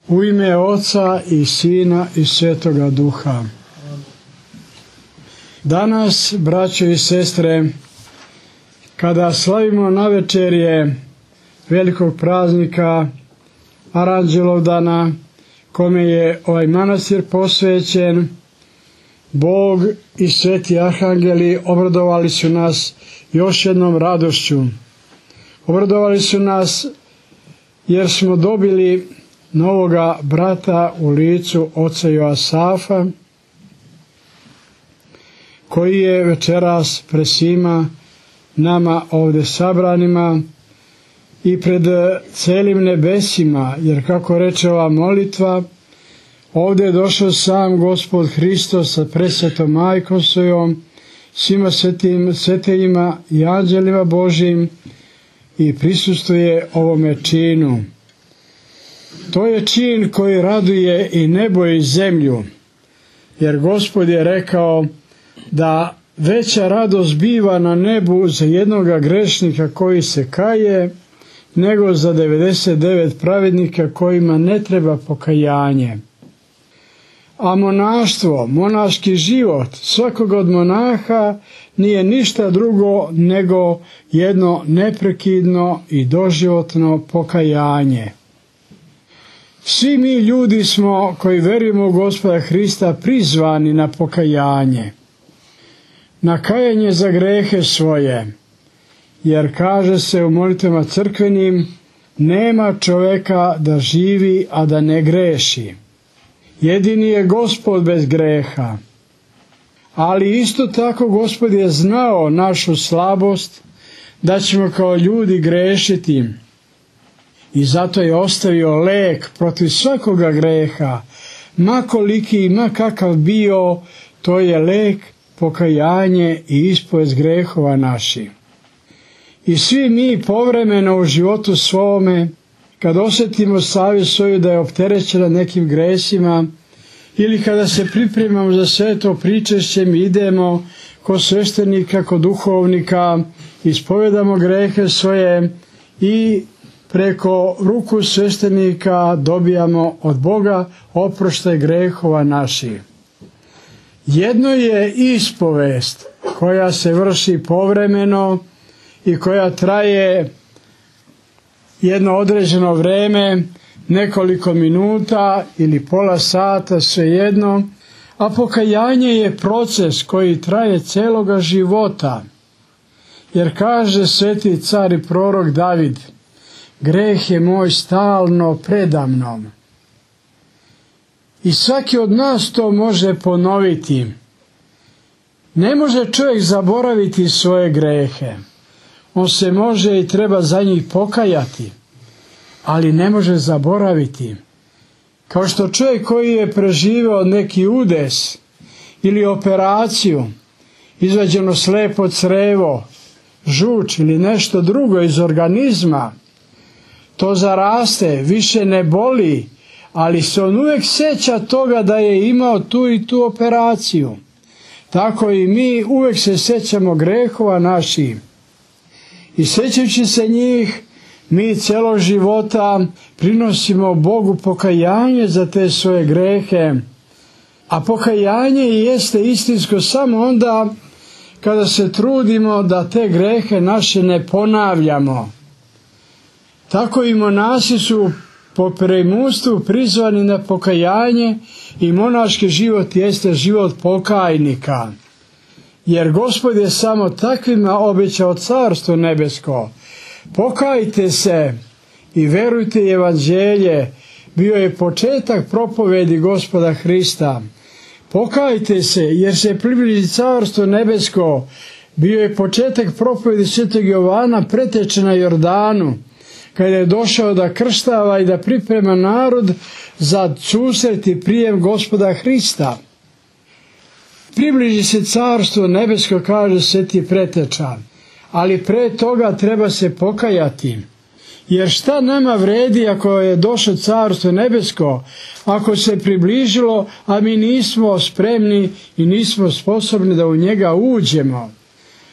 U ime Oca i Sina i Svetoga Duha. Danas, braćo i sestre, kada slavimo navečerje velikog praznika Aranđelovdana, kome je ovaj manastir posvećen, Bog i sveti arhangeli obradovali su nas još jednom radošću. Obradovali su nas jer smo dobili novoga brata u licu oca Joasafa, koji je večeras pred svima nama ovdje sabranima i pred celim nebesima, jer kako reče ova molitva, ovdje je došao sam Gospod Hristos sa presvetom majkom svojom, svima svetejima i anđelima Božjim i prisustvuje ovome činu. To je čin koji raduje i nebo i zemlju, jer Gospod je rekao da veća radost biva na nebu za jednoga grešnika koji se kaje, nego za 99 pravednika kojima ne treba pokajanje. A monaštvo, monaški život svakog od monaha nije ništa drugo nego jedno neprekidno i doživotno pokajanje. Svi mi ljudi smo koji verujemo u Gospoda Hrista prizvani na pokajanje, na kajanje za grehe svoje, jer kaže se u molitvama crkvenim, nema čovjeka da živi, a da ne greši. Jedini je Gospod bez greha. Ali isto tako Gospod je znao našu slabost, da ćemo kao ljudi grešiti. I zato je ostavio lek protiv svakoga greha, ma koliki i ma kakav bio, to je lek, pokajanje i ispovest grehova naših. I svi mi povremeno u životu svome, kad osjetimo savjest svoju da je opterećena nekim gresima, ili kada se pripremamo za sveto pričešće, mi idemo kod sveštenika, kod duhovnika, ispovedamo grehe svoje i preko ruku sveštenika dobijamo od Boga oproštaj grehova naših. Jedno je ispovest koja se vrši povremeno i koja traje jedno određeno vreme, nekoliko minuta ili pola sata, svejedno, a pokajanje je proces koji traje celoga života. Jer kaže sveti car i prorok David, greh je moj stalno predamnom. I svaki od nas to može ponoviti. Ne može čovjek zaboraviti svoje grehe. On se može i treba za njih pokajati, ali ne može zaboraviti. Kao što čovjek koji je preživio neki udes ili operaciju, izvađeno slijepo crevo, žuč ili nešto drugo iz organizma, to zaraste, više ne boli, ali se on uvijek sjeća toga da je imao tu i tu operaciju. Tako i mi uvijek se sjećamo grehova naših. I sjećajući se njih, mi cijelo života prinosimo Bogu pokajanje za te svoje grehe. A pokajanje jeste istinsko samo onda kada se trudimo da te grehe naše ne ponavljamo. Tako i monasi su po preimunstvu prizvani na pokajanje i monaški život jeste život pokajnika. Jer Gospod je samo takvima obećao carstvo nebesko. Pokajte se i verujte evanđelje, bio je početak propovedi Gospoda Hrista. Pokajte se jer se približi carstvo nebesko, bio je početak propovedi svetog Jovana preteče na Jordanu, kada je došao da krštava i da priprema narod za susret i prijem Gospoda Hrista. Približi se carstvo nebesko, kaže sveti preteča, ali pre toga treba se pokajati. Jer šta nama vredi ako je došlo carstvo nebesko, ako se približilo, a mi nismo spremni i nismo sposobni da u njega uđemo.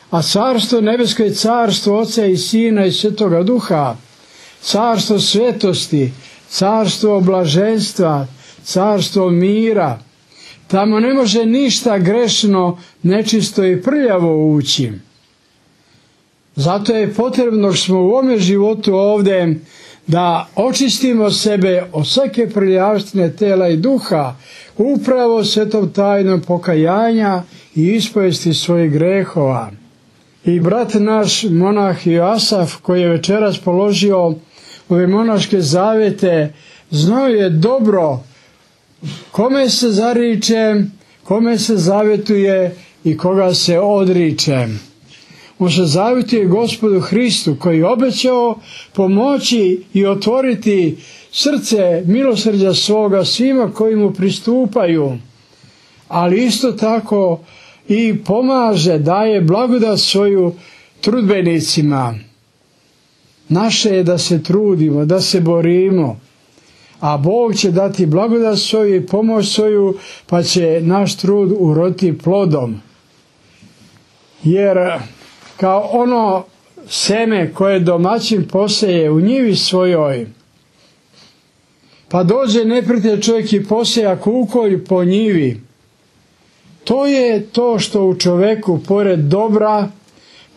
A carstvo nebesko je carstvo Oca i Sina i Svetoga Duha, carstvo svetosti, carstvo blaženstva, carstvo mira. Tamo ne može ništa grešno, nečisto i prljavo ući. Zato je potrebno što smo u ovome životu ovdje da očistimo sebe od svake prljavštine tela i duha, upravo svetom tajnom pokajanja i ispovesti svojih grehova. I brat naš monah Joasaf, koji je večeras položio ove monaške zavete, znao je dobro kome se zariče, kome se zavetuje i koga se odriče. On se zavjetuje Gospodu Hristu, koji je obećao pomoći i otvoriti srce milosrđa svoga svima koji mu pristupaju, ali isto tako i pomaže, daje blagodat svoju trudbenicima. Naše je da se trudimo, da se borimo, a Bog će dati blagodat svoju i pomoć svoju, pa će naš trud uroditi plodom. Jer kao ono seme koje domaćin poseje u njivi svojoj, pa dođe neprijatelj čovjek i poseja kukolj po njivi, to je to što u čovjeku pored dobra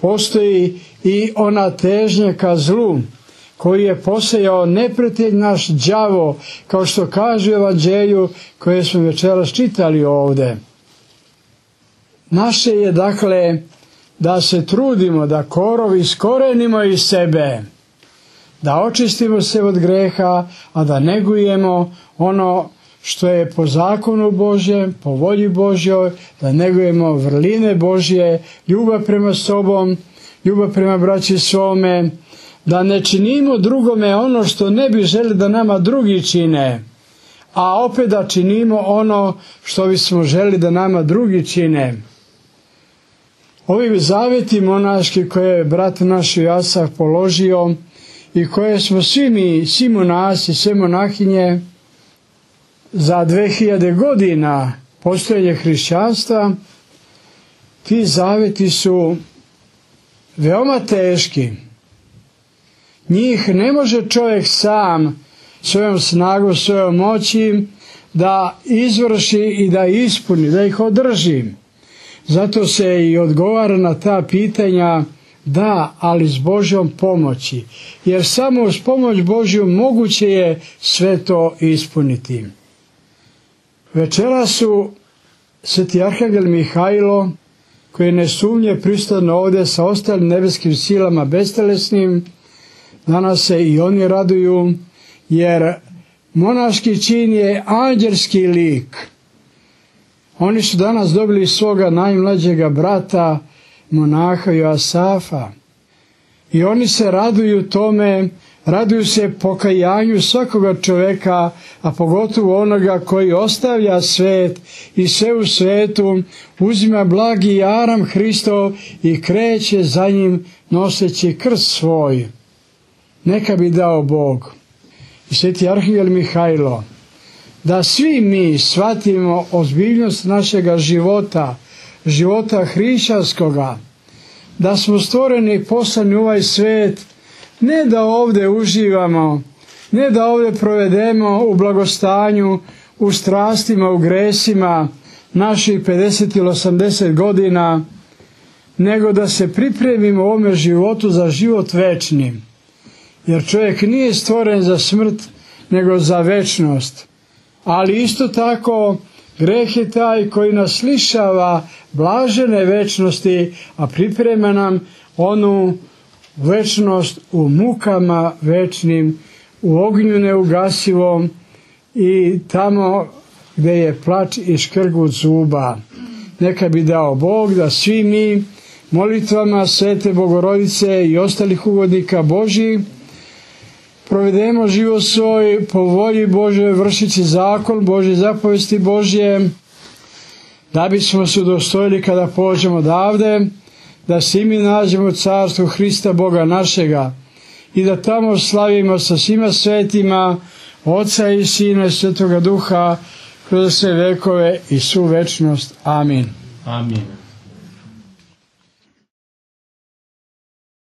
postoji i ona težnja ka zlu, koji je posejao neprijatelj naš đavo, kao što kaže u Evanđelju koje smo večeras čitali ovdje. Naše je dakle da se trudimo, da korov iskorenimo iz sebe, da očistimo se od greha, a da negujemo ono što je po zakonu Božjem, po volji Božjoj, da negujemo vrline Božje, ljubav prema sobom, ljubav prema braći svome, da ne činimo drugome ono što ne bi želi da nama drugi čine, a opet da činimo ono što bismo želi da nama drugi čine. Ovi zaveti monaški koje je brat naš Joasaf položio i koje smo svi mi, svi monasi, sve monahinje za 2000 godina postojanja hrišćanstva, ti zaveti su veoma teški. Njih ne može čovjek sam svojom snagom, svojom moći da izvrši i da ispuni, da ih održi. Zato se i odgovara na ta pitanja da, ali s Božjom pomoći, jer samo uz pomoć Božju moguće je sve to ispuniti. Večeras su sveti arhangel Mihajlo, koji je nesumnje prisutan ovdje sa ostalim nebeskim silama bestelesnim, danas se i oni raduju, jer monaški čin je anđelski lik. Oni su danas dobili svoga najmlađega brata, monaha Joasafa. I oni se raduju tome, raduju se pokajanju svakoga čovjeka, a pogotovo onoga koji ostavlja svet i sve u svetu, uzima blagi jaram Hristov i kreće za njim noseći krst svoj. Neka bi dao Bog. I sveti arhangel Mihajlo, da svi mi shvatimo ozbiljnost našega života, života hrišćanskoga, da smo stvoreni i poslani u ovaj svet, ne da ovdje uživamo, ne da ovdje provedemo u blagostanju, u strastima, u gresima naših 50 ili 80 godina, nego da se pripremimo u ovome životu za život večni. Jer čovjek nije stvoren za smrt, nego za večnost. Ali isto tako, greh je taj koji nas lišava blažene večnosti, a priprema nam onu večnost u mukama večnim, u ognju neugasivom i tamo gdje je plač i škrgut zuba. Neka bi dao Bog da svi mi molitvama Svete Bogorodice i ostalih ugodnika Božjih provedemo život svoj po volji Božoj, vršići zakon Božje, zapovesti Božje, da bismo se udostojili kada pođemo odavde, da se i mi nađemo u carstvu Hrista Boga našega i da tamo slavimo sa svima svetima, Oca i Sina i Svetoga Duha, kroz sve vekove i svu večnost. Amin. Amin.